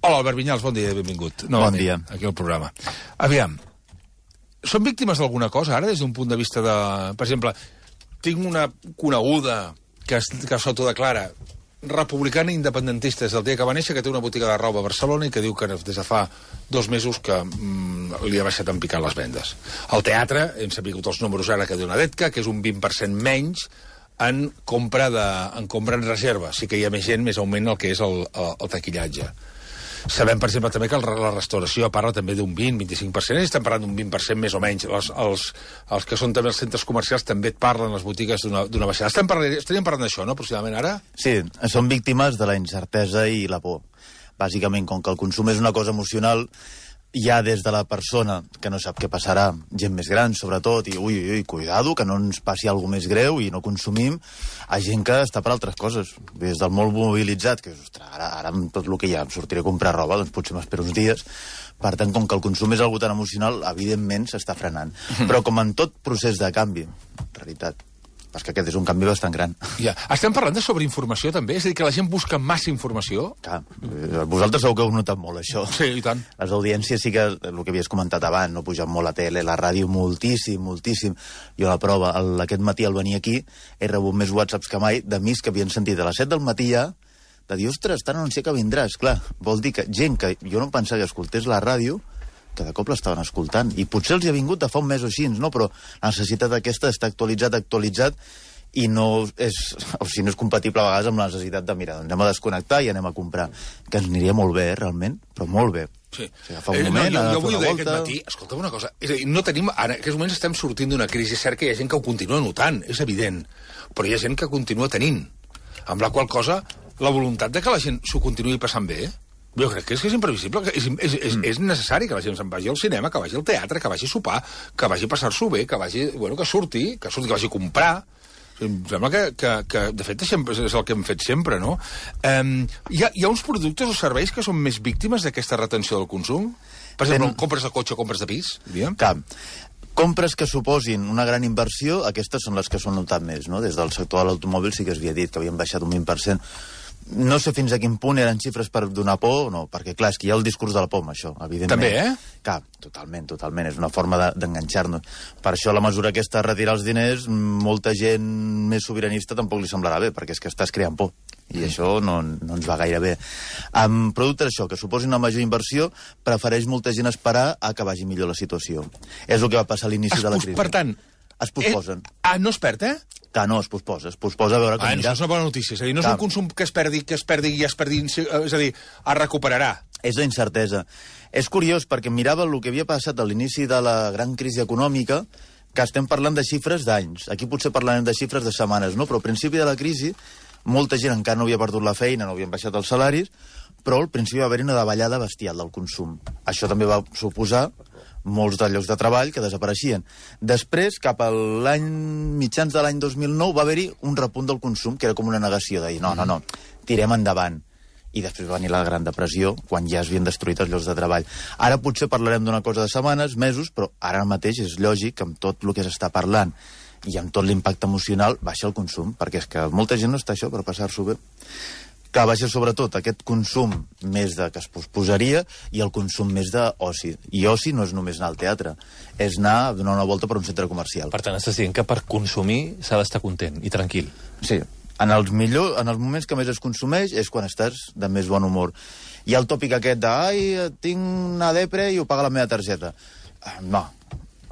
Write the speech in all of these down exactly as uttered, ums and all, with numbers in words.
Hola, Albert Vinyals, bon dia i benvingut. Bon dia. Aquí al programa. Aviam, són víctimes d'alguna cosa, ara, des d'un punt de vista de... Per exemple, tinc una coneguda que, que s'autodeclara republicana independentista des del dia que va néixer, que té una botiga de roba a Barcelona i que diu que des de fa dos mesos que mm, li ha baixat en picar les vendes. Al teatre, hem sabut els números ara que diu una Detca, que és un vint per cent menys en compra, de, en compra en reserva. Sí que hi ha més gent, més augment el que és el, el, el taquillatge. Sabem, per exemple, també que la restauració parla també d'un vint a vint-i-cinc per cent, i estem parlant d'un vint per cent més o menys. Els, els, els que són també els centres comercials també et parlen, les botigues, d'una baixada. Estem parlant, estaríem parlant d'això, no?, aproximadament, ara? Sí, són víctimes de la incertesa i la por. Bàsicament, com que el consum és una cosa emocional, ja des de la persona que no sap què passarà, gent més gran, sobretot, i ui, ui, ui, cuidado, que no ens passi alguna més greu i no consumim, a gent que està per altres coses. Des del molt mobilitzat, que ostres, ara, ara amb tot el que hi ha em sortiré a comprar roba, doncs potser m'espero uns dies. Per tant, com que el consum és algo tan emocional, evidentment s'està frenant. Però com en tot procés de canvi, en realitat, perquè aquest és un canvi bastant gran. Ja. Estem parlant de sobreinformació, també? És a dir, que la gent busca massa informació? Clar, vosaltres segur que heu notat molt, això. Sí, i tant. Les audiències sí que, el que havies comentat abans, no pugen molt a tele, la ràdio moltíssim, moltíssim. Jo la prova, el, aquest matí al venir aquí, he rebut més whatsapps que mai d'amics que havien sentit a les set del matí ja, de dir, ostres, tan anunciat que vindràs. Clar, vol dir que gent que jo no pensava que escoltés la ràdio, que de cop l'estaven escoltant. I potser els hi ha vingut de fa un mes o així, no? Però la necessitat aquesta està actualitzat, actualitzat, i no és, o sigui, no és compatible a vegades amb la necessitat de, mira, doncs anem a desconnectar i anem a comprar. Que ens aniria molt bé, eh, realment, però molt bé. Sí. O sigui, fa un moment, eh, no, jo, jo vull dir volta... aquest matí, escolta una cosa, és a dir, no tenim, en aquests moments estem sortint d'una crisi, és cert que hi ha gent que ho continua notant, és evident, però hi ha gent que continua tenint, amb la qual cosa, la voluntat de que la gent s'ho continuï passant bé, jo crec que és, que és imprevisible, que és, és, és, mm. és necessari que la gent se'n vagi al cinema, que vagi al teatre, que vagi a sopar, que vagi a passar-s'ho bé, que vagi, bueno, que surti, que surti, que vagi a comprar. Em sembla que, que, que de fet, és el que hem fet sempre, no? Um, hi, ha, hi ha uns productes o serveis que són més víctimes d'aquesta retenció del consum? Per exemple, ben... compres de cotxe o compres de pis, diríem? Cap. Compres que suposin una gran inversió, aquestes són les que s'han notat més, no? Des del sector de l'automòbil sí que es havia dit que havien baixat un vint per cent. No sé fins a quin punt eren xifres per donar por o no, perquè, clar, és que hi ha el discurs de la por amb això, evidentment. També, eh? Clar, totalment, totalment. És una forma d'enganxar-nos. De, per això, la mesura aquesta de retirar els diners, molta gent més sobiranista tampoc li semblarà bé, perquè és que estàs creant por. I mm. això no, no ens va gaire bé. Amb productes això, que suposin una major inversió, prefereix molta gent esperar a que vagi millor la situació. És el que va passar a l'inici de la crisi. Per tant... Es posposen. Eh, ah, no es perd, eh? Que no, es posposa. Es posposa a veure com ah, anirà. Això és una bona notícia. És a dir, no és un consum que es perdi, que es perdi i es perdi... És a dir, es recuperarà. És la incertesa. És curiós, perquè mirava el que havia passat a l'inici de la gran crisi econòmica, que estem parlant de xifres d'anys. Aquí potser parlarem de xifres de setmanes, no? Però al principi de la crisi, molta gent encara no havia perdut la feina, no havien baixat els salaris, però al principi va haver-hi una davallada bestial del consum. Això també va suposar molts de llocs de treball que desapareixien. Després, cap a l'any mitjans de l'any dos mil nou, va haver-hi un repunt del consum, que era com una negació, de dir, no, no, no, tirem endavant. I després va venir la Gran Depressió, quan ja es havien destruït els llocs de treball. Ara potser parlarem d'una cosa de setmanes, mesos, però ara mateix és lògic que amb tot el que s'està parlant i amb tot l'impacte emocional baixa el consum, perquè és que molta gent no està això per passar-s'ho bé. Que baixa sobretot aquest consum més de que es posposaria i el consum més d'oci. I oci no és només anar al teatre, és anar a donar una volta per un centre comercial. Per tant, estàs dient que per consumir s'ha d'estar content i tranquil. Sí, en els, millor, en els moments que més es consumeix és quan estàs de més bon humor. Hi ha el tòpic aquest de ai, tinc una depre i ho paga la meva targeta. No.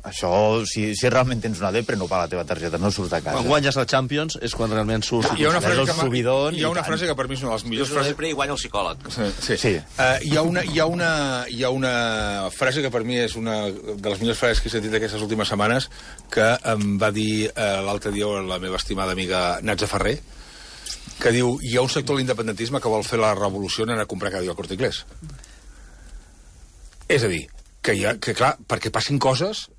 Això, si, si realment tens una depre, no paga la teva targeta, no surts de casa. Quan guanyes la Champions és quan realment surts. Hi ha una frase, que, subidon, hi ha una frase que per mi és una de les millors frases... Depre i guanya el psicòleg. Sí, sí. sí. Uh, hi, ha una, hi, ha una, hi ha una frase que per mi és una de les millors frases que he sentit aquestes últimes setmanes, que em va dir uh, l'altre dia la meva estimada amiga Natza Ferrer, que diu, hi ha un sector de l'independentisme que vol fer la revolució en anar a comprar cada dia al Corte Inglés. És a dir, que, hi ha, que clar, perquè passin coses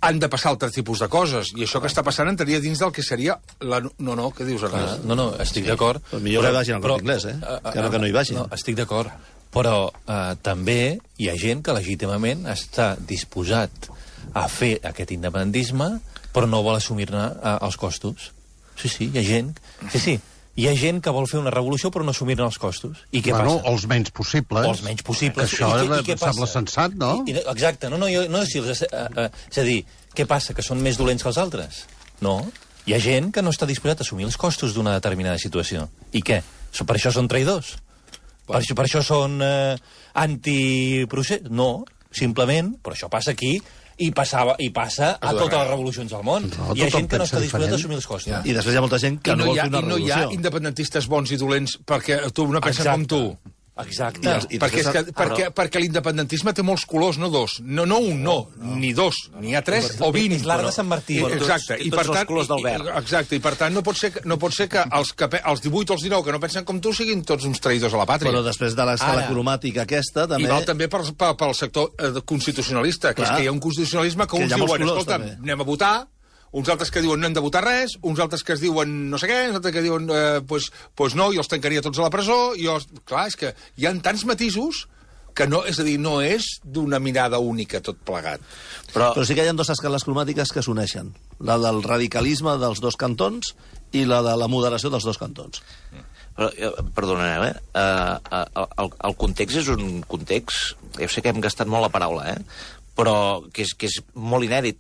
han de passar altres tipus de coses, i això que està passant entraria dins del que seria la... No, no, què dius, Ernest? No, no, estic sí. d'acord. Però millor que vagin al Corte Inglés, eh? Uh, uh, que no que no hi vagin. No, estic d'acord. Però uh, també hi ha gent que legítimament està disposat a fer aquest independentisme, però no vol assumir-ne uh, els costos. Sí, sí, hi ha gent... Sí, sí, hi ha gent que vol fer una revolució però no assumir-ne els costos. I què bueno, passa? els menys possibles. O els menys possibles. Que això I, i, i què sembla passa? sensat, no? I, i, exacte. No, no, jo, no si els, uh, uh, és a dir, què passa? Que són més dolents que els altres? No. Hi ha gent que no està disposat a assumir els costos d'una determinada situació. I què? Per això són traïdors? Per això, per això són eh, antiprocés? No, simplement, però això passa aquí i, passava, i passa a totes les revolucions del món. No, hi ha tothom gent que no pensa està disposat a diferent. assumir els costos. Ja. I després hi ha molta gent que I no, no, vol hi ha, fer una I no hi ha revolució. independentistes bons i dolents perquè tu, una pensa com tu. Exacte. I els- i Perquè, és que, després- perquè, perquè l'independentisme té molts colors, no dos. No, no un, no, ni dos. N'hi ha tres o vint. És l'art de Sant Martí. I, Però exacte. tots- I tots per els tant, colors del verd. i- Exacte. I per tant no pot ser que, no pot ser que els, que pe- els divuit o els dinou que no pensen com tu siguin tots uns traïdors a la pàtria. Però després de l'escala Ara. cromàtica aquesta, I també... val també pel, pel, pel sector eh, constitucionalista, que Clar. és que hi ha un constitucionalisme que, Que uns hi ha molts diuen, colors, escolta'm, també. anem a votar, uns altres que diuen no hem de votar res, uns altres que es diuen no sé què, uns altres que diuen eh, pues, pues no, jo els tancaria tots a la presó, i jo... Clar, és que hi ha tants matisos que no, és a dir, no és d'una mirada única tot plegat. Però, Però sí que hi ha dues escales cromàtiques que s'uneixen. La del radicalisme dels dos cantons i la de la moderació dels dos cantons. però eh, perdoneu, eh? Uh, el, el context és un context... Jo sé que hem gastat molt la paraula, eh? Però que és, que és molt inèdit,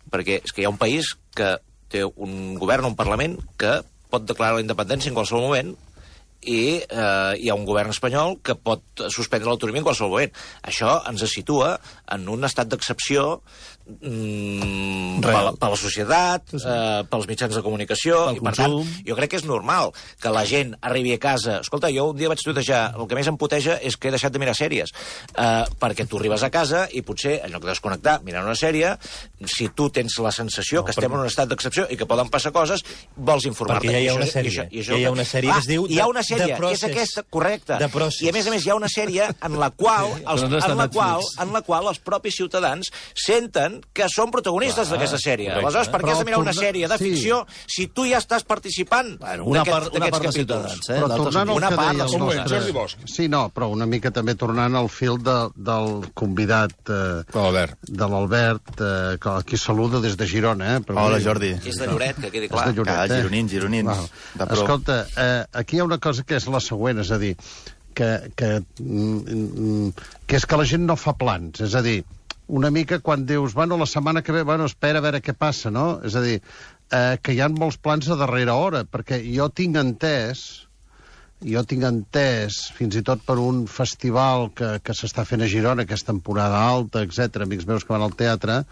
perquè és que hi ha un país que té un govern, un Parlament, que pot declarar la independència en qualsevol moment, i eh, hi ha un govern espanyol que pot suspendre l'autonomia en qualsevol moment. Això ens situa en un estat d'excepció mm, per, per la societat, eh, pels mitjans de comunicació, Pel i per tant, consum. jo crec que és normal que la gent arribi a casa... Escolta, jo un dia vaig tuitejar, el que més em puteja és que he deixat de mirar sèries, eh, perquè tu arribes a casa i potser, en lloc de desconnectar, mirar una sèrie, si tu tens la sensació no, que estem en un estat d'excepció i que poden passar coses, vols informar-te. Perquè ja hi ha I una això- i sèrie. això- i això- Ja hi ha una sèrie que es diu Hi ha The- una sèrie, The que és Process. aquesta, correcte. The Process. I a més a més hi ha una sèrie en la qual, els, Però no està en, la a qual, Netflix. en la qual els propis ciutadans senten que són protagonistes d'aquesta sèrie. correcte. Aleshores, per què has de mirar una Però sèrie de sí. ficció si tu ja estàs participant Bueno, una d'aquest- part, una d'aquests part dels capítols? ciutadans, eh? Però L'altre tornant al una que part deia dels el Com ho és, nostre... Jordi Bosch? Sí, no, però una mica també tornant al fil de, del convidat eh, De l'Albert. de l'Albert, eh, que aquí saluda des de Girona. Eh, però Hola, bé, Jordi. És de Lloret, que quedi És clar. de Lloret, Ah, eh? gironins, gironins. Val. De pro. Escolta, eh, aquí hi ha una cosa que és la següent, és a dir, que, que, mm, que és que la gent no fa plans, és a dir, una mica quan dius, bueno, la setmana que ve, bueno, espera a veure què passa, no? És a dir, eh, que hi ha molts plans a darrera hora, perquè jo tinc entès, jo tinc entès, fins i tot per un festival que, que s'està fent a Girona, que és temporada alta, etcètera, amics meus que van al teatre,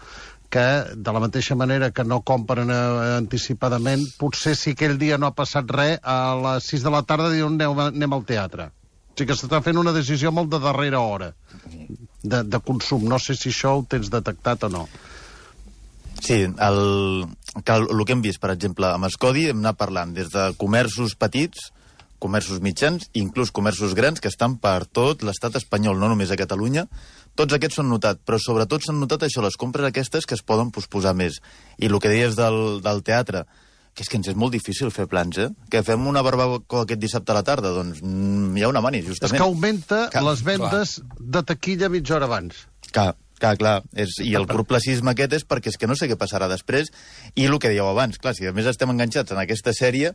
que de la mateixa manera que no compren eh, anticipadament, potser si aquell dia no ha passat res, a les sis de la tarda diuen anem, anem al teatre. O sigui que s'està fent una decisió molt de darrera hora de, de consum. No sé si això ho tens detectat o no. Sí, el, que el, el que hem vist, per exemple, amb Escodi hem anat parlant des de comerços petits, comerços mitjans, inclús comerços grans, que estan per tot l'estat espanyol, no només a Catalunya. Tots aquests s'han notat, però sobretot s'han notat això, les compres aquestes que es poden posposar més. I el que deies del, del teatre, que és que ens és molt difícil fer plans, eh? Que fem una barbacoa aquest dissabte a la tarda, doncs mm, hi ha una mani, És justament. que augmenta Clar, les vendes de taquilla mitja hora abans. Clar, clar, clar. És, I el corplacisme aquest és perquè és que no sé què passarà després. I el que dèieu abans, clar, si a més estem enganxats en aquesta sèrie,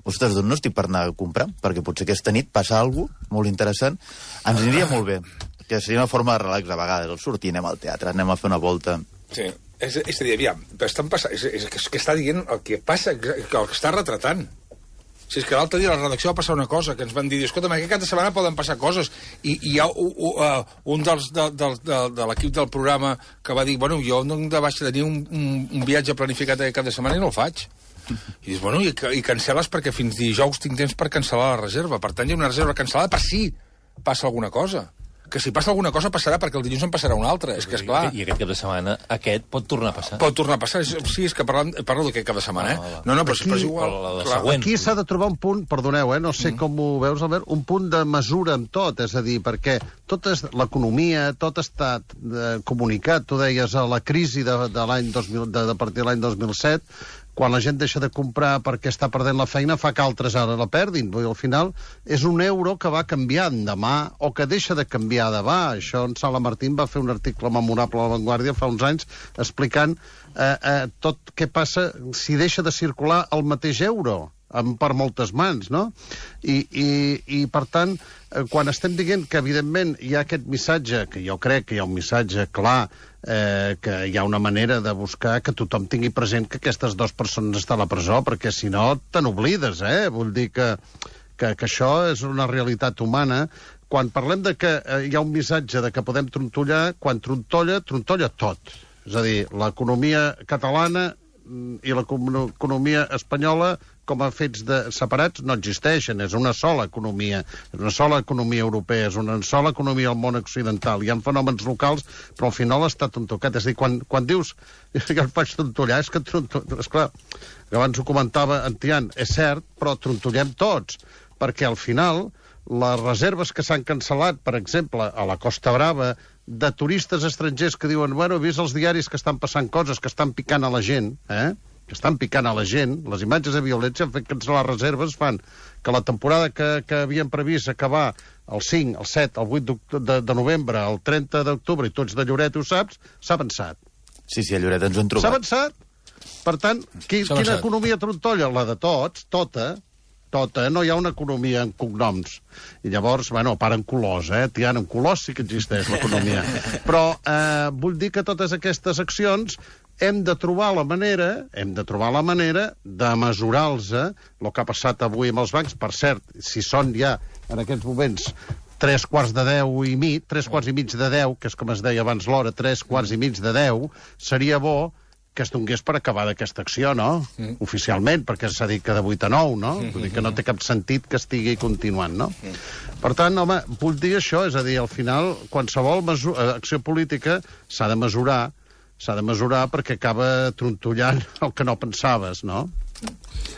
ostres, doncs no estic per anar a comprar, perquè potser aquesta nit passa alguna cosa molt interessant. Ens aniria molt bé, que seria una forma de relax a vegades, el sortir, anem al teatre, anem a fer una volta. Sí. És, és a dir, aviam, estan passant, és, és, és que està dient el que passa, que el que està retratant. Si és que l'altre dia a la redacció va passar una cosa, que ens van dir, escolta, aquest cap de setmana poden passar coses, i, i hi ha un, uh, un dels de, de, de, de l'equip del programa que va dir, bueno, jo no em de baix tenir un, un, un viatge planificat aquest cap de setmana i no el faig. I dius, bueno, i, i cancel·les perquè fins dijous tinc temps per cancel·lar la reserva. Per tant, hi ha una reserva cancel·lada per si passa alguna cosa. Que si passa alguna cosa passarà perquè el dilluns en passarà una altra. És que, esclar, I aquest cap de setmana, aquest pot tornar a passar. pot tornar a passar. Sí, és que parlant, parlo d'aquest cap de setmana, eh? Ah, No, no, però, Aquí- però és igual. la de Clar, següent. Aquí s'ha de trobar un punt, perdoneu, eh, no sé mm. com ho veus, Albert, un punt de mesura amb tot, és a dir, perquè tot és l'economia, tot està eh, comunicat, tu deies a la crisi de, de l'any dos mil, de, de partir de l'any dos mil set, quan la gent deixa de comprar perquè està perdent la feina, fa que altres ara la perdin. Vull dir, al final és un euro que va canviant demà o que deixa de canviar demà. Això en Sala Martín va fer un article memorable a La Vanguardia fa uns anys explicant eh, eh, tot què passa si deixa de circular el mateix euro. per moltes mans, no? I, i, i per tant, eh, quan estem dient que, evidentment, hi ha aquest missatge, que jo crec que hi ha un missatge clar, eh, que hi ha una manera de buscar que tothom tingui present que aquestes dues persones estan a la presó, perquè si no te n'oblides, eh? Vull dir que, que, que això és una realitat humana. Quan parlem de que eh, hi ha un missatge de que podem trontollar, quan trontolla, trontolla tot. És a dir, l'economia catalana i l'economia espanyola com a fets de, separats no existeixen, és una sola economia, és una sola economia europea, és una sola economia al món occidental. Hi ha fenòmens locals, però al final està tontocat. És a dir, quan, quan dius que el faig trontollar, és que trontollar, esclar, abans ho comentava en Tian, és cert, però trontollem tots, perquè al final les reserves que s'han cancel·lat, per exemple, a la Costa Brava, de turistes estrangers que diuen, bueno, he vist els diaris que estan passant coses, que estan picant a la gent, eh? que estan picant a la gent, les imatges de violència han fet cancel·lar reserves, fan que la temporada que, que havien previst acabar el cinc, el set, el vuit de, de novembre, el trenta d'octubre, i tots de Lloret ho saps, s'ha avançat. Sí, sí, a Lloret ens ho hem trobat. S'ha avançat. Per tant, qui, quina economia trontolla? La de tots, tota, tota, no hi ha una economia en cognoms. I llavors, bueno, a part en colors, eh? Tian, en colors sí que existeix l'economia. Però eh, vull dir que totes aquestes accions hem de trobar la manera, hem de trobar la manera de mesurar-los, eh? El que ha passat avui amb els bancs, per cert, si són ja, en aquests moments, tres quarts de deu i mig, tres quarts i mig de deu, que és com es deia abans l'hora, tres quarts i mig de deu, seria bo que es donés per acabar d'aquesta acció, no? Mm. Oficialment, perquè s'ha dit que de vuit a nou, no? Mm -hmm. Vull dir que no té cap sentit que estigui continuant, no? Mm. Per tant, home, vull dir això, és a dir, al final, qualsevol acció política s'ha de mesurar, s'ha de mesurar perquè acaba trontollant el que no pensaves, no?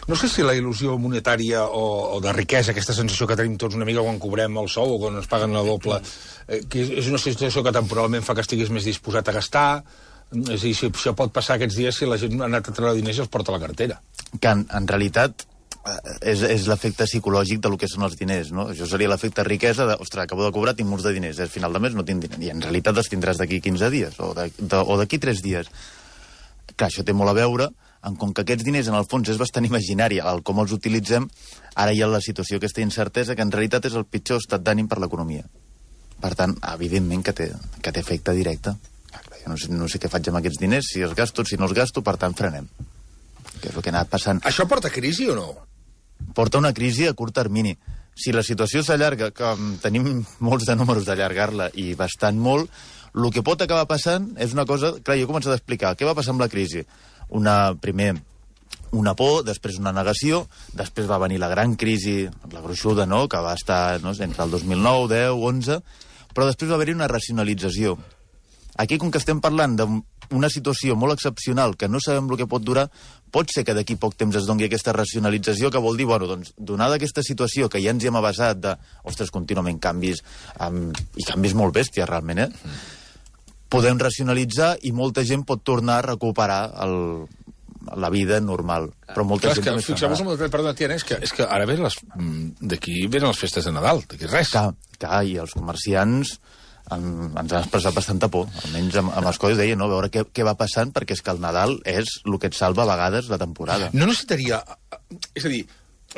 No sé si la il·lusió monetària o, o de riquesa, aquesta sensació que tenim tots una mica quan cobrem el sou o quan ens paguen la doble, eh, que és, és una situació que temporalment fa que estiguis més disposat a gastar. És a dir, si això pot passar aquests dies si la gent ha anat a treure diners i els porta a la cartera. Que en, en realitat és, és l'efecte psicològic del que són els diners, no? Això seria l'efecte riquesa de, ostres, acabo de cobrar, tinc molts de diners, al final de mes no tinc diners, i en realitat els tindràs d'aquí quinze dies, o d'aquí tres dies. Clar, això té molt a veure, en com que aquests diners en el fons és bastant imaginari, el com els utilitzem, ara hi ha la situació, aquesta incertesa, que en realitat és el pitjor estat d'ànim per l'economia. Per tant, evidentment que té, que té efecte directe. Jo no sé, no sé què faig amb aquests diners, si els gasto, si no els gasto, per tant frenem. Que és el que ha anat passant. Això porta crisi o no? Porta una crisi a curt termini. Si la situació s'allarga, que tenim molts de números d'allargar-la i bastant molt, el que pot acabar passant és una cosa... Clar, jo he començat a explicar què va passar amb la crisi. Una, primer, una por, després una negació, després va venir la gran crisi, la gruixuda, no?, que va estar no, entre el dos mil nou, deu, onze, però després va haver-hi una racionalització. Aquí, com que estem parlant d'una situació molt excepcional, que no sabem el que pot durar, pot ser que d'aquí poc temps es doni aquesta racionalització, que vol dir, bueno, doncs, donada aquesta situació que ja ens hi hem avasat de, ostres, contínuament canvis, um, i canvis molt bèsties, realment, eh? Podem racionalitzar i molta gent pot tornar a recuperar el, la vida normal. Però molta clar, gent... És que, fixeu-vos amb el que perdó, Tiana, és que, és que ara ven les, d'aquí venen les festes de Nadal, d'aquí res. Clar, clar, i els comerciants en, ens han expressat bastanta por, almenys amb, amb els codis deia, no, veure què, què va passant, perquè és que el Nadal és el que et salva a vegades la temporada. No necessitaria... És a dir,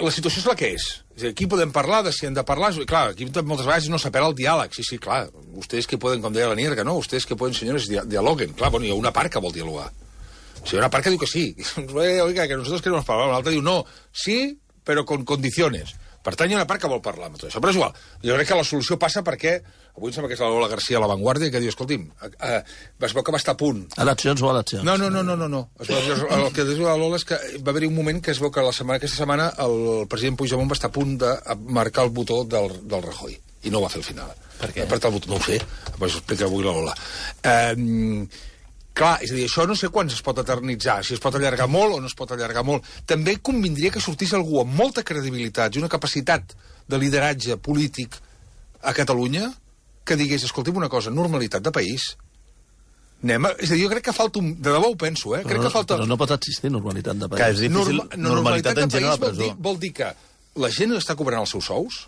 la situació és la que és. És a dir, aquí podem parlar de si hem de parlar... Clar, aquí moltes vegades no s'apela el diàleg. Sí, sí, clar, ustedes que poden, com deia la Nierga, no? Ustedes que poden, senyores, dialoguen. Clar, bueno, hi ha una part que vol dialogar. O sigui, hi ha una part que diu que sí. Oiga, que nosotros queremos parlar. L'altra diu no, sí, però con condiciones. Per tant, hi ha una part que vol parlar amb tot això. Però és igual. Jo crec que la solució passa perquè... Avui em sembla que és la Lola García a La Vanguardia, que diu, escolti'm, eh, es veu que va estar a punt. Eleccions o eleccions? No, no, no, no, no. no. Es veu, el que diu la Lola és que va haver-hi un moment que es veu que la setmana, aquesta setmana el president Puigdemont va estar a punt de marcar el botó del, del Rajoy. I no ho va fer al final. Per què? Per tal botó, no ho sé. Pues ho explica avui la Lola. Eh... Clar, és a dir, això no sé quan es pot eternitzar, si es pot allargar molt o no es pot allargar molt. També convindria que sortís algú amb molta credibilitat i una capacitat de lideratge polític a Catalunya que digués, escolti'm una cosa, normalitat de país. Anem a... És a dir, jo crec que falta un... De debò ho penso, eh? Crec però, que falta... Però no pot existir normalitat de país. Que és difícil, Norma... normalitat, normalitat en gent a la presó. Vol dir, vol dir que la gent està cobrant els seus sous?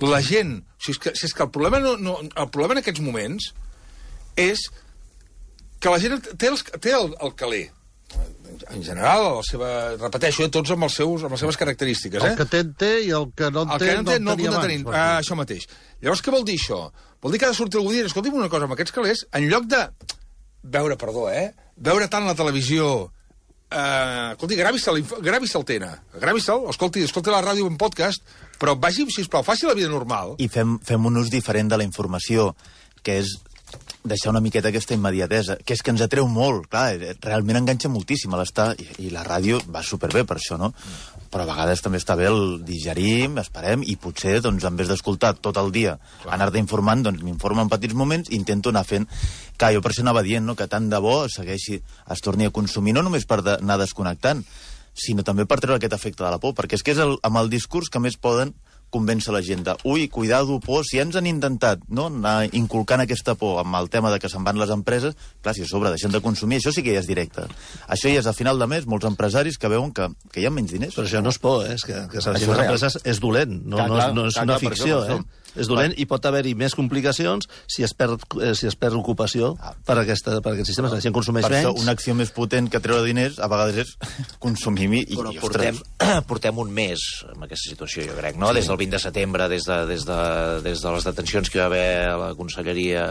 La gent... Si és que, si és que el problema, no, no, el problema en aquests moments és... que la gent té, els, té el, el caler, en general, la seva, repeteixo, eh, tots amb, els seus, amb les seves característiques. Eh? El que té en té i el que no en El té que no en té no el tenia pot abans. tenir. Ah, això mateix. Llavors, què vol dir això? Vol dir que ha de sortir algú dient, escolti'm una cosa, amb aquests calés, en lloc de veure, perdó, eh, veure tant la televisió, eh, escolti, gravi-se'l, gravi-se'l Tena, gravi-se'l, escolti, escolti la ràdio en podcast, però vagi, sisplau, faci la vida normal. I fem, fem un ús diferent de la informació, que és deixar una miqueta aquesta immediatesa, que és que ens atreu molt, clar, realment enganxa moltíssim a l'estar, i, i la ràdio va superbé per això, no? Però a vegades també està bé el digerim, esperem, i potser, doncs, en vez d'escoltar tot el dia, anar-te informant, doncs m'informo en petits moments, intento anar fent... Clar, jo per això anava dient, no?, que tant de bo segueixi, es torni a consumir, no només per de, anar desconnectant, sinó també per treure aquest efecte de la por, perquè és que és el, amb el discurs que més poden convèncer la gent de, ui, cuidado, por, si ens han intentat, no?, anar inculcant aquesta por amb el tema de que se'n van les empreses, clar, si a sobre deixen de consumir, això sí que ja és directe. Això ja és a final de mes, molts empresaris que veuen que, que hi ha menys diners. Però això no és por, eh? És que, que Això les és real. empreses és dolent, no, Clar, no, clar, és, no és clar, una clar, per ficció, això, per eh? És dolent i pot haver-hi més complicacions si es perd, eh, si es perd ocupació per, aquesta, per aquest sistema. La gent consumeix Per això, menys. una acció més potent que treure diners a vegades és consumir i, Però i portem, ostres, portem un mes amb aquesta situació, jo crec, no? Sí. Des del vint de setembre, des de, des, de, des de les detencions que hi va haver a la Conselleria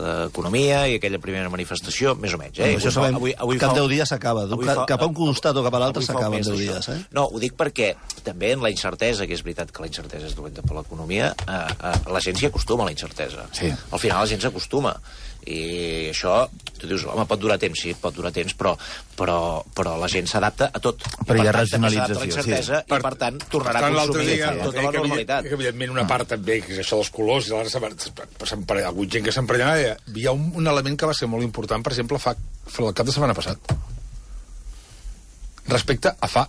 d'Economia i aquella primera manifestació, més o menys. Eh? Això sabem, avui, avui cap fa- deu dies s'acaba. avui Cap, fa- cap a un costat o cap a l'altre avui fa un s'acaben mes deu d'això. dies. Eh? No, ho dic perquè també en la incertesa, que és veritat que la incertesa és dolenta per l'economia, eh, eh, la gent s'hi acostuma a la incertesa. Sí. Al final la gent s'acostuma. I això, tu dius, home, pot durar temps, sí, pot durar temps, però, però, però la gent s'adapta a tot. I, Però hi ha per tant, també s'adapta a racionalització, la incertesa, sí. I per tant tornarà Per a tant, l'altre consumir dia, amb tota que, la que, normalitat. que, evidentment, una part també, que és això dels colors, i l'altre hi ha hagut gent que s'emprenyava, hi ha un, un element que va ser molt important, per exemple, fa, fa el cap de setmana passat, respecte a fa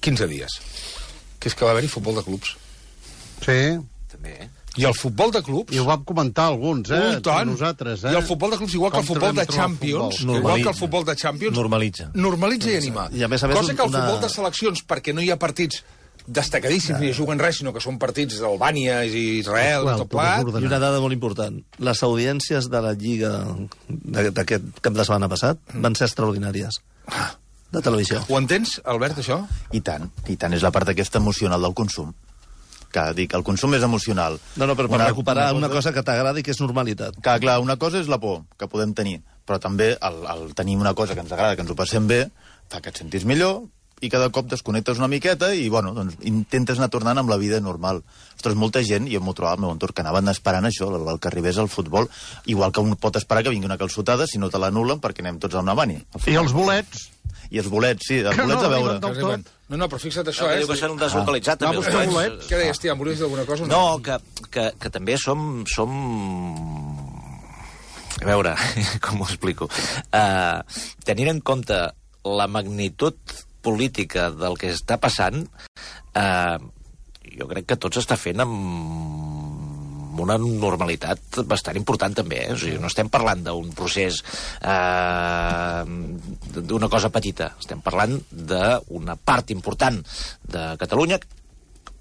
quinze dies, que és que va haver-hi futbol de clubs. Sí, També, eh? I el futbol de clubs... i ho vam comentar alguns, eh? Ui, tant. Nosaltres, eh? I el futbol de clubs, igual que el Com futbol de trobem trobar el Champions, futbol? igual que el futbol de Champions... Normalitza. Normalitza i anima. I a més a més Cosa que el una- futbol de seleccions, perquè no hi ha partits destacadíssims, ni juguen res, sinó que són partits d'Albània i Israel, Well, i tot tot plegat. desordenat. I una dada molt important. Les audiències de la Lliga de- d'aquest cap de setmana passat van ser extraordinàries. De televisió. Ho entens, Albert, això? I tant, i tant, és la part aquesta emocional del consum. Que dic, el consum és emocional. No, no, però per Una- recuperar una una cosa- cosa que t'agrada i que és normalitat. Que, clar, una cosa és la por que podem tenir, però també el, el tenir una cosa que ens agrada, que ens ho passem bé, fa que et sentis millor i cada cop desconnectes una miqueta i, bueno, doncs intentes anar tornant amb la vida normal. Ostres, molta gent, jo m'ho trobava al meu entorn, que anaven esperant això, el, el que arribés al futbol, igual que un pot esperar que vingui una calçotada si no te l'anulen perquè anem tots a una bani. I els bolets? I els bolets, sí, els Que bolets no a veure. arriben del tot. No, no, però fixa't això, No, eh? diu que s'han deslocalitzat, Va també. buscar els bolets. Què deies, tia, volies dir alguna cosa? o No, que, que, que també som... som... A veure, com ho explico? Uh, tenint en compte la magnitud política del que està passant, uh, jo crec que tot s'està fent amb una normalitat bastant important també, eh? O sigui, no estem parlant d'un procés eh, d'una cosa petita, estem parlant d'una part important de Catalunya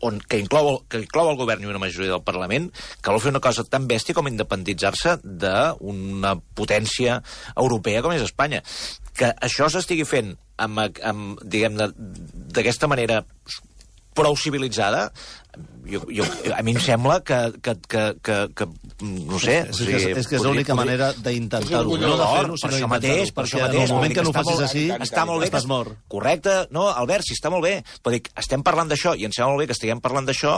on, que, inclou, que inclou el govern i una majoria del Parlament, que vol fer una cosa tan bèstia com independitzar-se d'una potència europea com és Espanya. Que això s'estigui fent amb, amb diguem-ne, d'aquesta manera prou civilitzada, jo, jo, a mi em sembla que, que, que, que, que no sé... És, que, és, és que és l'única manera d'intentar-ho. És No de fer-ho, per sinó això d'intentar-ho. mateix, per això Perquè mateix. en el moment que no ho Està facis molt- així, està molt bé que estàs mort. Correcte, no, Albert, si està molt bé. Però dic, estem parlant d'això, i em sembla molt bé que estiguem parlant d'això,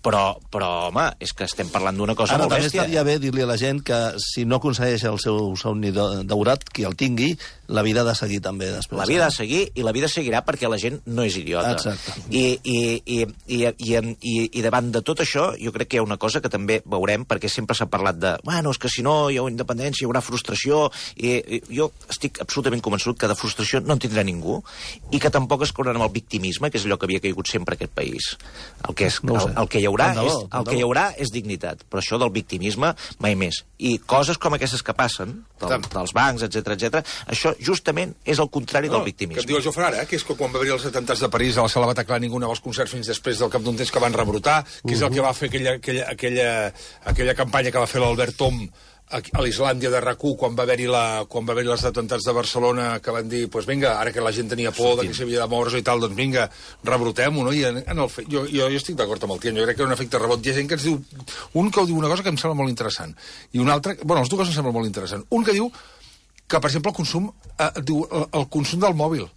però, però, home, és que estem parlant d'una cosa Ara molt també bèstia. estaria bé dir-li a la gent que si no aconsegueix el seu somni de- daurat, qui el tingui, la vida ha de seguir també després. La vida ha de seguir, i la vida seguirà perquè la gent no és idiota. Exacte. I, i, i, i, i, en- i, i davant de tot això, jo crec que hi ha una cosa que també veurem, perquè sempre s'ha parlat de, bueno, és que si no hi ha independència, hi haurà frustració, i, i jo estic absolutament convençut que de frustració no en tindrà ningú, i que tampoc es cauran amb el victimisme, que és allò que havia caigut sempre aquest país. El que, és, No ho el, sé. el que hi haurà Tant de bo, és, tant el de que hi bo. haurà és dignitat, però això del victimisme mai més. I coses com aquestes que passen, del, dels bancs, etc etc, això justament és el contrari del Que victimisme. et diu el Jofre ara, eh, que és que quan va haver-hi els atemptats de París a la sala Bataclan ningú anava als concerts fins després del cap d'un temps que van rebrotar, que és el que va fer aquella, aquella, aquella, aquella campanya que va fer l'Albert Tom a, a l'Islàndia de RAC u, quan va haver-hi la, quan va haver-hi els atemptats de Barcelona, que van dir, pues vinga, ara que la gent tenia por de que s'havia de moure i tal, doncs vinga, rebrotem-ho, no? I en, en el fe... jo, jo, jo estic d'acord amb el Tian, jo crec que és un efecte rebot. Hi ha gent que ens diu, un que diu una cosa que em sembla molt interessant, i un altre, bueno, els dues em sembla molt interessant. Un que diu que, per exemple, el consum, eh, diu, el, el consum del mòbil,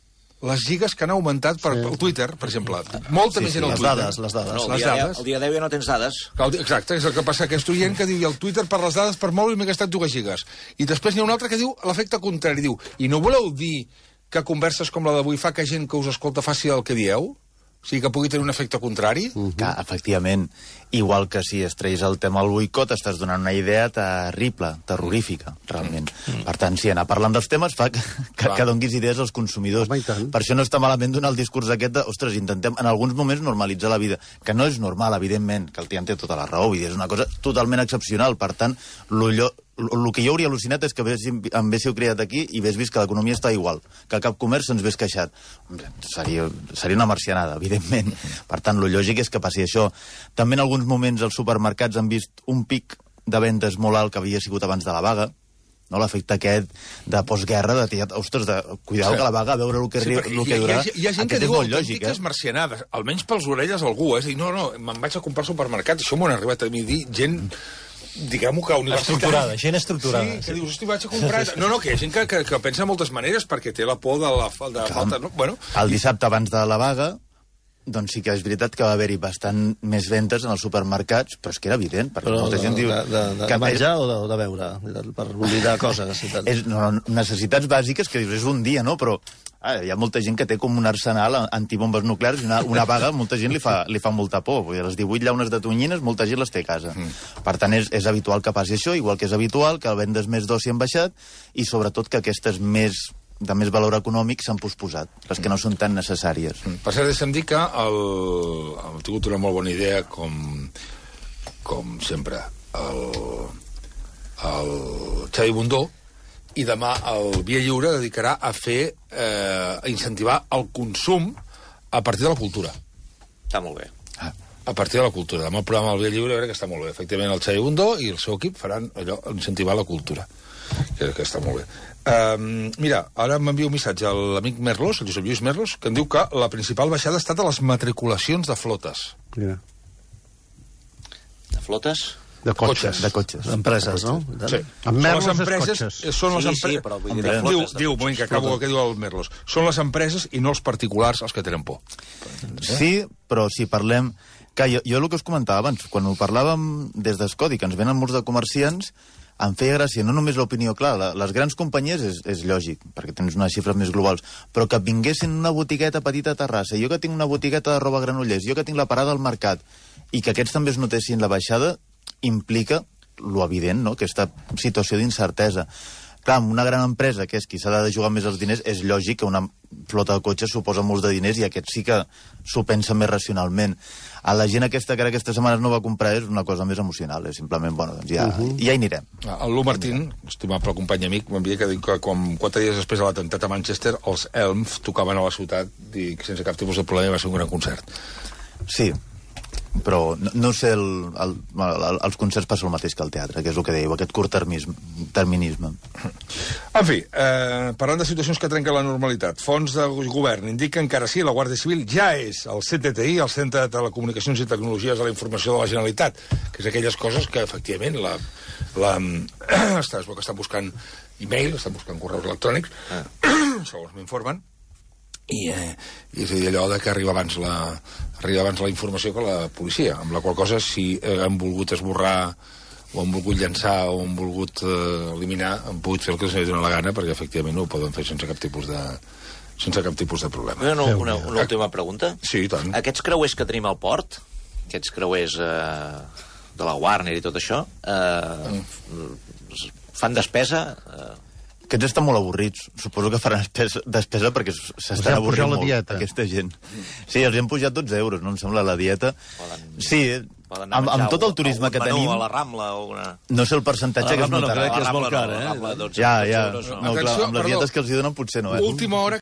les gigas que han augmentat per, sí. per Twitter, per exemple. Molta sí, més sí, gent al les Twitter. Dades, les dades, no, les dia, dades. El dia deu ja no tens dades. Exacte, és el que passa. Aquest oient que diu, i el Twitter per les dades per mòbil m'he gastat dues gigas. I després n'hi ha un altre que diu l'efecte contrari. Diu, i no voleu dir que converses com la d'avui fa que gent que us escolta faci el que dieu? O sigui, que pugui tenir un efecte contrari? Uh -huh. Que, efectivament, igual que si es treis el tema al boicot, estàs donant una idea terrible, terrorífica, realment. Uh -huh. Per tant, si anar parlant dels temes fa que, que, que donguis idees als consumidors. Home, per això no està malament donar el discurs aquest de, ostres, intentem en alguns moments normalitzar la vida, que no és normal, evidentment, que el Tian té tota la raó, vull dir, és una cosa totalment excepcional. Per tant, l'ulló... el que jo hauria al·lucinat és que em véssiu criat aquí i vés vist que l'economia està igual, que cap comerç se'ns vés queixat. Seria, seria una marcianada, evidentment. Per tant, el lògic és que passi això. També en alguns moments els supermercats han vist un pic de vendes molt alt que havia sigut abans de la vaga, no? L'efecte aquest de postguerra, de tia, ostres, de cuidar sí. que la vaga, a veure el que, sí, el que durà. Hi ha, hi ha gent aquest que diu eh? autèntiques marcianades, almenys pels orelles algú, eh? És a dir, no, no, me'n vaig a comprar al supermercat, això m'ho han arribat a mi dir, gent... diguem-ho que universitari... Estructurada, gent estructurada. Sí, que dius, hosti, vaig a comprar... No, no, que hi ha gent que, que, que pensa de moltes maneres perquè té la por de la, de la falta... No? Bueno, el dissabte abans de la vaga, doncs sí que és veritat que va haver-hi bastant més ventes en els supermercats, però és que era evident, perquè però molta de, gent diu... De, de, de que menjar és... o, de, o de beure? Per oblidar coses. És, no, no, necessitats bàsiques que dius, és un dia, no? Però ah, hi ha molta gent que té com un arsenal antibombes nuclears i una, una vaga, molta gent li fa, li fa molta por. Vull dir, les divuit llaunes de tonyines, molta gent les té a casa. Mm. Per tant, és, és habitual que passi això, igual que és habitual que vendes més d'oci han baixat i, sobretot, que aquestes més de més valor econòmic s'han posposat, les que no són tan necessàries. Mm. Per cert, deixa'm dir que el, hem tingut una molt bona idea, com, com sempre, el, el Xavi Bundó, i demà el Via Lliure dedicarà a fer, eh, a incentivar el consum a partir de la cultura. Està molt bé. Ah. A partir de la cultura. Demà el programa del Via Lliure jo crec que està molt bé. Efectivament, el Xavi Bundó i el seu equip faran allò, incentivar la cultura. Crec que està molt bé. Uh, mira, ara m'envia un missatge a l'amic Merlos, el Josep Lluís Merlos, que em diu que la principal baixada ha estat a les matriculacions de flotes. Mira. De flotes? De cotxes. De cotxes. Empreses, no? Sí. Amb Merlos són les empreses, cotxes. són les Sí, empreses... sí, però vull dir de diu, flotes, de diu, un moment, que acabo el que diu el Merlos. Són les empreses i no els particulars els que tenen por. Sí, però si parlem... Que jo, jo el que us comentava abans, quan ho parlàvem des d'Escodi, que ens venen molts de comerciants, em feia gràcia, no només l'opinió, clar, la, les grans companyies és, és lògic, perquè tens unes xifres més globals, però que vinguessin una botigueta petita a Terrassa, jo que tinc una botigueta de roba a Granollers, jo que tinc la parada al mercat, i que aquests també es notessin la baixada, implica lo evident, no?, aquesta situació d'incertesa. Clar, amb una gran empresa, que és qui s'ha de jugar més els diners, és lògic que una flota de cotxes suposa molts de diners i aquest sí que s'ho pensa més racionalment. A la gent aquesta que ara aquestes setmanes no va comprar és una cosa més emocional, és simplement, bueno, doncs ja, uh -huh. ja hi anirem. El Lu Martín, estimable company amic, m'envia que diu que quan, quatre dies després de l'atemptat a Manchester, els Elms tocaven a la ciutat i sense cap tipus de problema va ser un gran concert. Sí, però no, no sé, el, el, el, els concerts passa el mateix que el teatre, que és el que dèieu, aquest curt-terminisme. En fi, eh, parlant de situacions que trenquen la normalitat, fons de govern indiquen que ara sí, la Guàrdia Civil ja és el C T T I, el Centre de Telecomunicacions i Tecnologies de la Informació de la Generalitat, que és aquelles coses que, efectivament, la, la, està, es veu que estan buscant e-mail, estan buscant correus electrònics, ah. segons m'informen, i, eh, i és a dir, allò de que arriba abans la, arriba abans la informació que la policia, amb la qual cosa, si eh, han volgut esborrar o han volgut llançar o han volgut eh, eliminar, han pogut fer el que els dona la gana, perquè efectivament no ho poden fer sense cap tipus de, sense cap tipus de problema. Una, una, una última pregunta. Sí, i tant. Aquests creuers que tenim al port, aquests creuers eh, de la Warner i tot això, eh, mm. fan despesa... Eh, Aquests estan molt avorrits. Suposo que faran despesa, despesa perquè s'estan avorrint molt, dieta. Aquesta gent. Sí, els han pujat dotze euros, no em sembla, la dieta. Poden, sí, poden amb, amb tot el turisme que tenim... a la Rambla o una... No sé el percentatge que es notarà. No, crec que és molt car, eh? Ja, ja. No, clar, amb les dietes que els hi donen potser no, eh? Última hora...